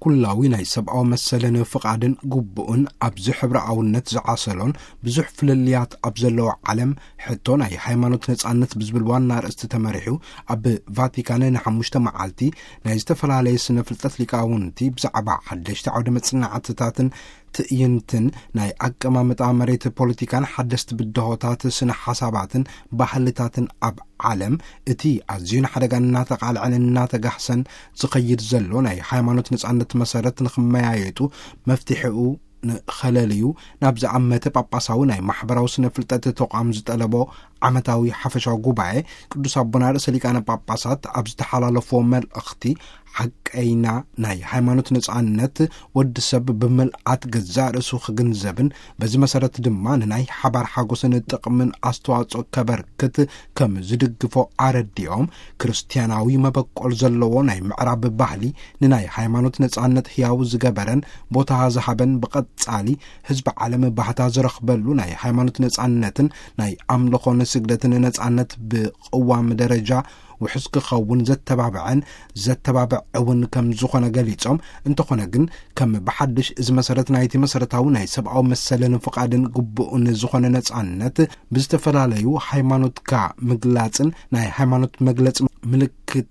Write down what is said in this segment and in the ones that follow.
ኩላዊ ናይ ሰብኣዊ መሰልን ፍቓድን ግቡእን ኣብዚ ሕብረኣውነት ዝዓሰሎን ብዙሕ ፍልልያት ኣብ ዘለዎ ዓለም፣ ሕቶ ናይ ሃይማኖት ነጻነት ብዝብል ዋና ኣርእስቲ ተመሪሑ፣ ኣብ ቫቲካን ንሓሙሽተ መዓልቲ ናይ ዝተፈላለየ ስነ ፍልጠት ሊቃውንቲ ብዛዕባ ሓደሽቲ ዓውደ መጽናዕትታትን ትዕይንትን፣ ናይ ኣቀማምጣ መሬት ፖለቲካን ሓደስቲ ብድሆታት ስነ ሓሳባትን ባህልታትን ኣብ ዓለም፣ እቲ ኣዝዩ ንሓደጋ እናተቓልዐን እናተጋህሰን ዝኸይድ ዘሎ ናይ ሃይማኖት ነጻነት መሰረት ንኽመያየጡ፣ መፍትሒኡ ንኸለልዩ፣ ናብ ዝኣመተ ጳጳሳዊ ናይ ማሕበራዊ ስነ ፍልጠት ተቋም ዝጠለቦ ዓመታዊ ሓፈሻዊ ጉባኤ፣ ቅዱስ ኣቦና ርእሰ ሊቃነ ጳጳሳት ኣብ ዝተሓላለፍዎ መልእኽቲ፣ ሓቀይና ናይ ሃይማኖት ነጻነት፣ ወዲ ሰብ ብምልኣት ገዛእ ርእሱ ክግንዘብን፣ በዚ መሰረት ድማ ንናይ ሓባር ሓጎስን ጥቕምን ኣስተዋጽኦ ከበርክት ከም ዝድግፎ ኣረዲኦም፣ ክርስትያናዊ መበቆል ዘለዎ ናይ ምዕራብ ባህሊ ንናይ ሃይማኖት ነጻነት ህያው ዝገበረን ቦታ ዝሃበን፣ ብቐጻሊ ህዝቢ ዓለም ባህታ ዝረኽበሉ ናይ ሃይማኖት ነጻነትን ናይ ኣምልኾን ስግደትን ነጻነት ብቅዋም ደረጃ ውሑስ ክኸውን ዘተባብዐን ዘተባብዕ እውን ከም ዝኾነ ገሊጾም፣ እንተኾነ ግን ከም ብሓድሽ እዚ መሰረት ናይቲ መሰረታዊ ናይ ሰብኣዊ መሰልን ፍቓድን ግቡእን ዝኾነ ነጻነት፣ ብዝተፈላለዩ ሃይማኖትካ ምግላጽን ናይ ሃይማኖት መግለጺ ምልክታ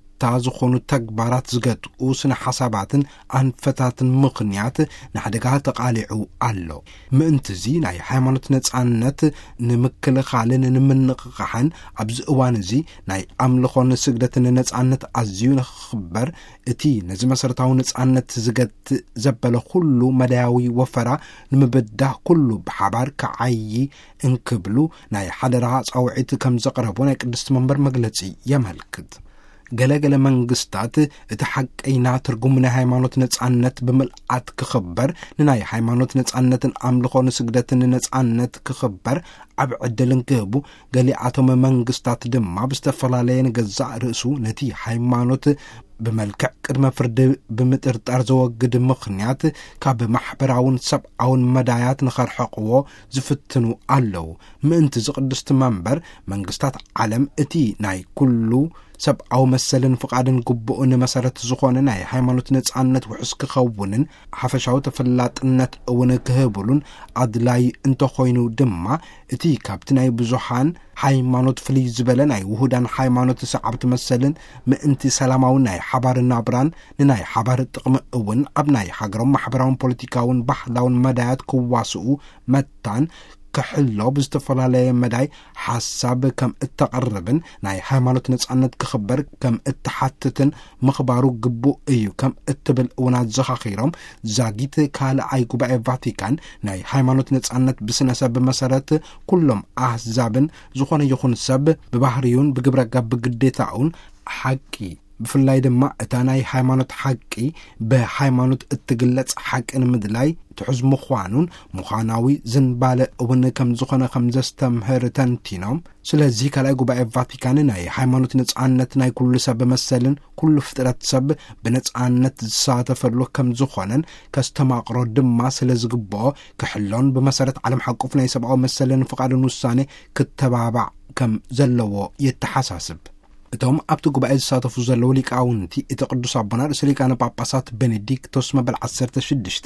ዝኾኑ ተግባራት ዝገትኡ ስነ ሓሳባትን ኣንፈታትን ምኽንያት ንሓደጋ ተቓሊዑ ኣሎ። ምእንትዚ ናይ ሃይማኖት ነጻነት ንምክልኻልን ንምንቕቓሕን ኣብዚ እዋን እዚ ናይ ኣምልኾን ስግደትን ነጻነት ኣዝዩ ንኽኽበር፣ እቲ ነዚ መሰረታዊ ነጻነት ዝገትእ ዘበለ ኩሉ መዳያዊ ወፈራ ንምብዳህ ኩሉ ብሓባር ክዓዪ እንክብሉ ናይ ሓደራ ጻውዒት ከም ዘቕረቡ ናይ ቅድስቲ መንበር መግለጺ የመልክት። ገለ ገለ መንግስታት እቲ ሓቀይና ትርጉም ናይ ሃይማኖት ነጻነት ብምልኣት ክኽበር፣ ንናይ ሃይማኖት ነጻነትን ኣምልኾ ንስግደትን ነጻነት ክኽበር ዓብ ዕድል እንክህቡ፣ ገሊኣቶም መንግስታት ድማ ብዝተፈላለየ ንገዛእ ርእሱ ነቲ ሃይማኖት ብመልክዕ ቅድመ ፍርዲ ብምጥርጣር ዘወግድ ምኽንያት ካብ ማሕበራውን ሰብኣውን መዳያት ንኸርሕቕዎ ዝፍትኑ ኣለዉ። ምእንቲ እዚ ቅድስቲ መንበር መንግስታት ዓለም እቲ ናይ ኩሉ ሰብኣዊ መሰልን ፍቓድን ግቡእን መሰረት ዝኾነ ናይ ሃይማኖት ነጻነት ውሑስ ክኸውንን ሓፈሻዊ ተፈላጥነት እውን ክህብሉን ኣድላይ እንተኾይኑ ድማ፣ እቲ ካብቲ ናይ ብዙሃን ሃይማኖት ፍልይ ዝበለ ናይ ውሁዳን ሃይማኖት ሰዓብቲ መሰልን ምእንቲ ሰላማዊ ናይ ሓባር ናብራን ንናይ ሓባር ጥቕሚ እውን ኣብ ናይ ሃገሮም ማሕበራውን ፖለቲካውን ባህላውን መዳያት ክዋስኡ መታን ክሕሎ ብዝተፈላለየ መዳይ ሓሳብ ከም እተቕርብን ናይ ሃይማኖት ነጻነት ክኽበር ከም እትሓትትን ምኽባሩ ግቡእ እዩ ከም እትብል እውን ኣዘኻኺሮም፣ ዛጊት ካልኣይ ጉባኤ ቫቲካን ናይ ሃይማኖት ነጻነት ብስነ ሰብ መሰረት ኩሎም ኣህዛብን ዝኾነ ይኹን ሰብ ብባህርዩን ብግብረ ገብ ግዴታኡን ሓቂ፣ ብፍላይ ድማ እታ ናይ ሃይማኖት ሓቂ ብሃይማኖት እትግለጽ ሓቂ ንምድላይ ትሑዝ ምዃኑን ምዃናዊ ዝንባለ እውን ከም ዝኾነ ከም ዘስተምህር ተንቲኖም፣ ስለዚ ካልኣይ ጉባኤ ቫቲካን ናይ ሃይማኖት ነጻነት ናይ ኩሉ ሰብ መሰልን ኩሉ ፍጥረት ሰብ ብነጻነት ዝሳተፈሉ ከም ዝኾነን ከስተማቕሮ ድማ ስለ ዝግብኦ ክሕሎን ብመሰረት ዓለም ሓቁፍ ናይ ሰብኣዊ መሰልን ፍቓድን ውሳኔ ክተባባዕ ከም ዘለዎ የተሓሳስብ። እቶም ኣብቲ ጉባኤ ዝሳተፉ ዘለዉ ሊቃውንቲ፣ እቲ ቅዱስ ኣቦና ርእሰ ሊቃነ ጳጳሳት ቤኔዲክቶስ መበል ዓሰርተ ሽዱሽተ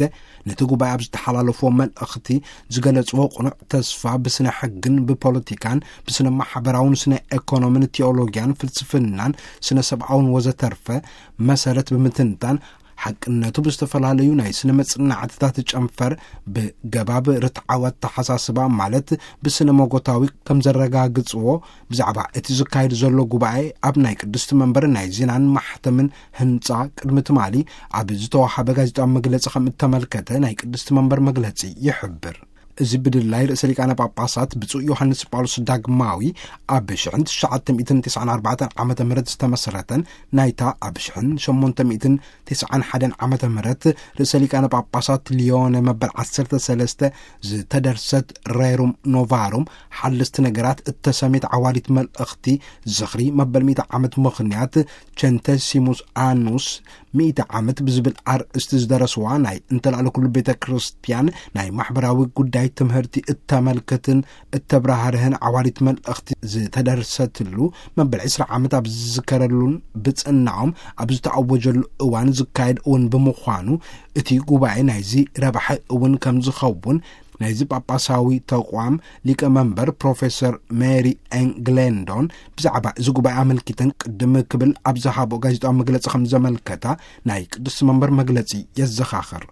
ነቲ ጉባኤ ኣብ ዝተሓላለፍዎ መልእኽቲ ዝገለጽዎ ቅኑዕ ተስፋ ብስነ ሕግን ብፖለቲካን ብስነ ማሕበራውን ስነ ኤኮኖምን ቲኦሎጊያን ፍልስፍናን ስነ ሰብኣውን ወዘተርፈ መሰረት ብምትንታን፣ ሓቅነቱ ብዝተፈላለዩ ናይ ስነ መጽናዕትታት ጨንፈር ብገባብ ርትዓዊ ኣተሓሳስባ ማለት ብስነ መጎታዊ ከም ዘረጋግጽዎ፣ ብዛዕባ እቲ ዝካየድ ዘሎ ጉባኤ ኣብ ናይ ቅድስቲ መንበር ናይ ዜናን ማሕተምን ህንጻ ቅድሚ ትማሊ ኣብ ዝተዋሃበ ጋዜጣዊ መግለጺ ከም እተመልከተ ናይ ቅድስቲ መንበር መግለጺ ይሕብር። እዚ ብድላይ ርእሰ ሊቃነ ጳጳሳት ብፁዕ ዮሃንስ ጳውሎስ ዳግማዊ ኣብ ሽሕን ትሽዓተ ሚእትን ተስዓን ኣርባዕተን ዓመተ ምህረት ዝተመስረተን ናይታ ኣብ ሽሕን ሸሞንተ ሚእትን ተስዓን ሓደን ዓመተ ምህረት ርእሰ ሊቃነ ጳጳሳት ሊዮነ መበል ዓሰርተ ሰለስተ ዝተደርሰት ሬሩም ኖቫሩም ሓለስቲ ነገራት እተሰሜት ዓዋዲት መልእኽቲ ዝኽሪ መበል ሚእቲ ዓመት ምኽንያት ቸንተሲሙስ ኣኑስ ሚእቲ ዓመት ብዝብል ኣርእስቲ ዝደረስዋ ናይ እንተላዕለ ኩሉ ቤተ ክርስቲያን ናይ ማሕበራዊ ጉዳይ ናይ ትምህርቲ እተመልክትን እተብራህርህን ዓዋሪት መልእኽቲ ዝተደርሰትሉ መበል ዕስራ ዓመት ኣብ ዝዝከረሉን ብጽናኦም ኣብ ዝተኣወጀሉ እዋን ዝካየድ እውን ብምዃኑ፣ እቲ ጉባኤ ናይዚ ረባሒ እውን ከም ዝኸውን ናይዚ ጳጳሳዊ ተቋም ሊቀ መንበር ፕሮፌሰር ሜሪ ኤን ግሌንዶን ብዛዕባ እዚ ጉባኤ ኣመልኪተን ቅድም ክብል ኣብ ዝሃቦ ጋዜጣዊ መግለጺ ከም ዘመልከታ ናይ ቅዱስ መንበር መግለጺ የዘኻኽር።